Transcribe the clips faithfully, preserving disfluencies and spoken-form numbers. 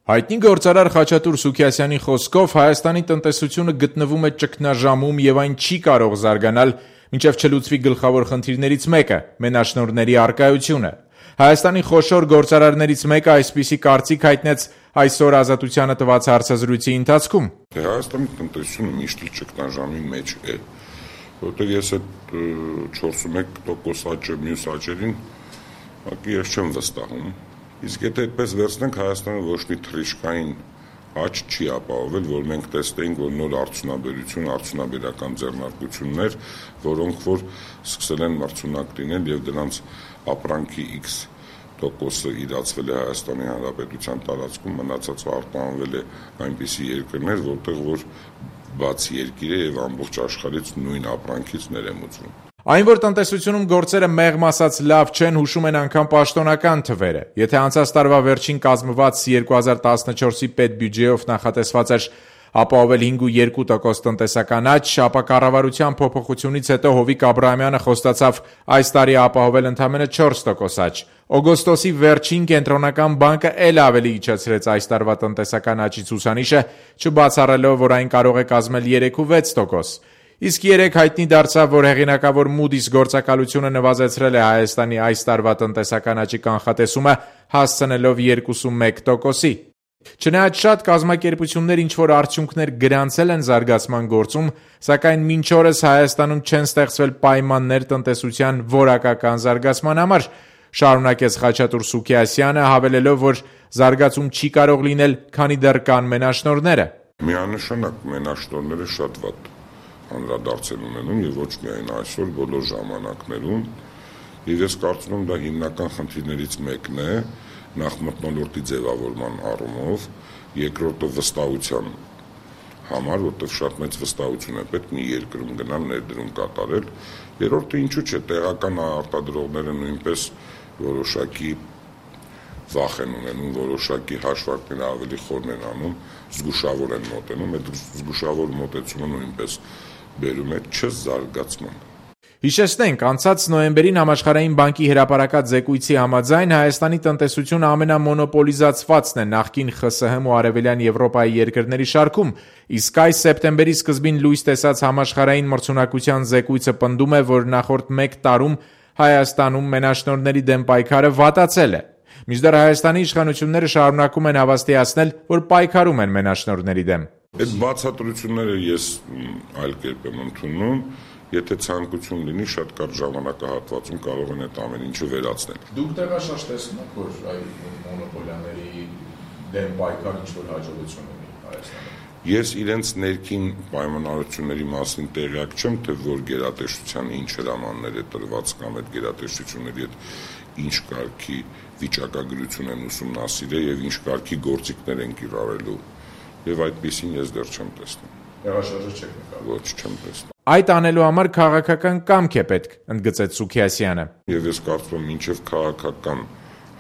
Հայտնի գործարար Խաչատուր Սուքիասյանի խոսքով Հայաստանի տնտեսությունը գտնվում է ճգնաժամում եւ այն չի կարող զարգանալ, մինչեւ չլուծվի գլխավոր խնդիրներից մեկը՝ մենաշնորհների առկայությունը։ Հայաստանի խոշոր գործարարներից մեկը այսպիսի կարծիք հայտնեց այսօր Ազատությանը տված հարցազրույցի ընթացքում։ Հայաստանի տնտեսությունը միշտ ճգնաժամի մեջ է, որտեղ ես այդ չորսունմեկ տոկոս աճը մյուս աճերին ես չեմ վստահում։ Իսկ եթե այդպես վերցնենք, Հայաստանը ոչ մի թռիչքային աճ չի ապահովել, որ մենք տեսնենք, որ նոր արդյունաբերություն, արդյունաբերական ձեռնարկություններ, որոնք որ սկսել են մրցունակ լինել եւ դրանց ապրանքի X տոկոսը իրացվել է Հայաստանի Հանրապետության տարածքում, մնացածը արտահանվել է այնպիսի երկրներ, որտեղ որ բաց երկիր է եւ ամբողջ աշխարհից նույն ապրանքից ներմուծվում։ Այն, որ տնտեսությունում գործերը մեղմ ասած լավ չեն, հուշում են անգամ պաշտոնական թվերը։ Եթե անցած տարվա վերջին կազմված երկու հազար տասնչորսի պետբյուջեով նախատեսված էր ապահովել հինգ ու երկու տոկոս տնտեսական աճ, ապա կառավարության փոփոխությունից հետո Հովիկ Աբրահամյանը խոստացավ այս տարի ապահովել ընդամենը չորս տոկոս աճ։ Օգոստոսի վերջին Կենտրոնական բանկը էլ ավելի իջեցրեց այս տարվա տնտեսական աճի ցուցանիշը, չբացառելով, որ այն կարող է կազմել երեք ու վեց տոկոս։ Իսկ երեք հայտնի դարձավ, որ հեղինակավոր Moody's գործակալությունը նվազեցրել է Հայաստանի այս տարվա տնտեսական աճի կանխատեսումը, հասցնելով երկուսունմեկ տոկոսի։ Չնայած շատ կազմակերպություններ ինչ-որ արդյունքներ գրանցել են զարգացման գործում, սակայն մինչ օրս Հայաստանում չեն ստեղծվել պայմաններ տնտեսության որակական զարգացման համար, շարունակեց Խաչատուր Սուքիասյանը, հավելելով, որ զարգացում չի կարող լինել, քանի դեռ կան մենաշնորհները։ Միանշանակ մենաշնորհները շատ վատ անդրադարձել ունենում եւ ոչ միայն այսօր, բոլոր ժամանակներում, եւ ես կարծում եմ դա հիմնական խնդիրներից մեկն է, նախ մթնոլորտի ձևավորման առումով, երկրորդը վստահության համար, որտեղ շատ մեծ վստահություն է պետք մի երկրում գնալ ներդրում կատարել, երրորդը ինչու՞ չէ, տեղական արտադրողները նույնպես որոշակի վախ են ունենում, որոշակի հաշվարկները ավելի խորն են անում, զգուշավոր են մոտենում, այդ զգուշավոր մոտեցումը նույնպես բերում է չզարգացման։ Հիշեցնենք, անցած նոյեմբերին Համաշխարհային բանկի հրապարակած զեկույցի համաձայն Հայաստանի տնտեսությունը ամենամոնոպոլիզացվածն է նախկին Խ Ս Հ-մ ու Արևելյան Եվրոպայի երկրների շարքում, իսկ այս սեպտեմբերի սկզբին լույս տեսած համաշխարհային մրցունակության զեկույցը պնդում է, որ նախորդ մեկ տարում Հայաստանում մենաշնորհների դեմ պայքարը վատացել է։ Մինչդեռ Հայաստանի իշխանությունները շարունակում են հավաստիացնել, որ պայքարում են մենաշնորհների դեմ։ Այդ բացատրությունները ես այլ կերպ եմ ընդունում, եթե ցանկություն լինի, շատ կարճ ժամանակահատվածում կարող են այդ ամեն ինչը վերացնել։ Դուք տեղաշարժ տեսնում եք, որ այ մոնոպոլիաների դեմ պայքարը ինչ-որ հաջողություն ունի Հայաստանում։ Ես իրենց ներքին պայմանավորությունների մասին տեղյակ չեմ, թե որ գերատեսչության ինչ հրամաններ է տրված կամ այդ գերատեսչությունների հետ ինչ կարգի վիճակագրություն են ուսումնասիրել եւ ինչ կարգի գործիքներ են կիրառելու, եւ այդպեսին ես դեռ չեմ տեսնում։ Տեղաշարժը չեք նկատում։ Ոչ, չեմ տեսնում։ Այդ անելու համար քաղաքական կամք է պետք, ընդգծեց Սուքիասյանը։ Եվ ես կարծում եմ, մինչեւ քաղաքական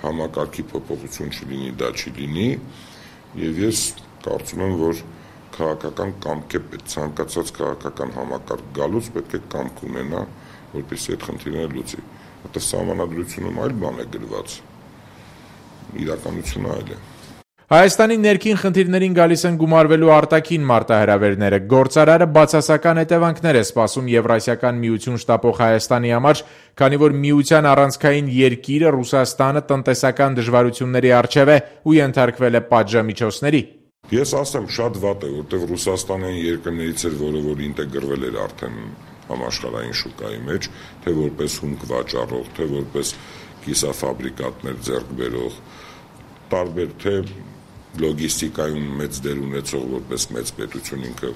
համակարգի փոփոխություն չլինի, դա չի լինի, եւ ես կարծում եմ, որ քաղաքական կամք է պետք, ցանկացած քաղաքական համակարգ գալուց պետք է կամք ունենա, որպեսզի այդ խնդիրները լուծի։ Որտեղ սահմանադրությունում այլ բան է գրված, իրականությունը այլ է։ Հայաստանի ներքին խնդիրներին գալիս են գումարվելու արտաքին մարտահրավերները։ Գործարարը բացասական հետևանքներ է սպասում Եվրասիական միություն շտապող Հայաստանի համար, քանի որ միության առանցքային երկիրը Ռուսաստանը տնտեսական դժվարությունների առջև է ու ենթարկվել է պատժամիջոցների։ Ես ասեմ, շատ վատ է, որտեղ Ռուսաստանը այն երկրներից էր, որը որ ինտեգրվել էր արդեն համաշխարհային շուկայի մեջ, թե որպես հումք վաճառող, թե որպես կիսաֆաբրիկատներ ձեռք բերող, տարբեր թե լոգիստիկայում մեծ դեր ունեցող որպես մեծ պետություն ինքը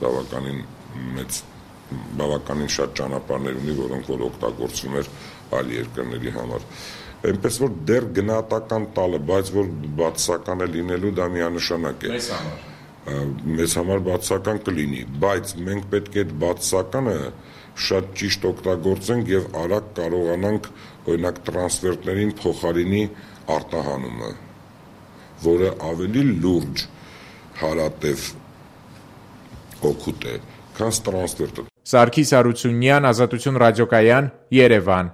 բավականին մեծ բավականին շատ ճանապարհներ ունի, որոնք որ օգտագործվում էր այլ երկրների համար։ Այնպես որ դեռ գնահատական տալը, բայց որ բացասական է լինելու դա միանշանակ է։ Մեզ համար մեզ համար բացասական կլինի, բայց մենք պետք է այդ բացասականը շատ ճիշտ օգտագործենք եւ արագ կարողանանք օրինակ տրանսֆերտներին փոխարինի արտահանումը, որը ավելի լուրջ հարատև օգուտ է, քան տրանսֆերտը։ Սարգիս Հարությունյան, Ազատություն ռադիոկայան, Երևան։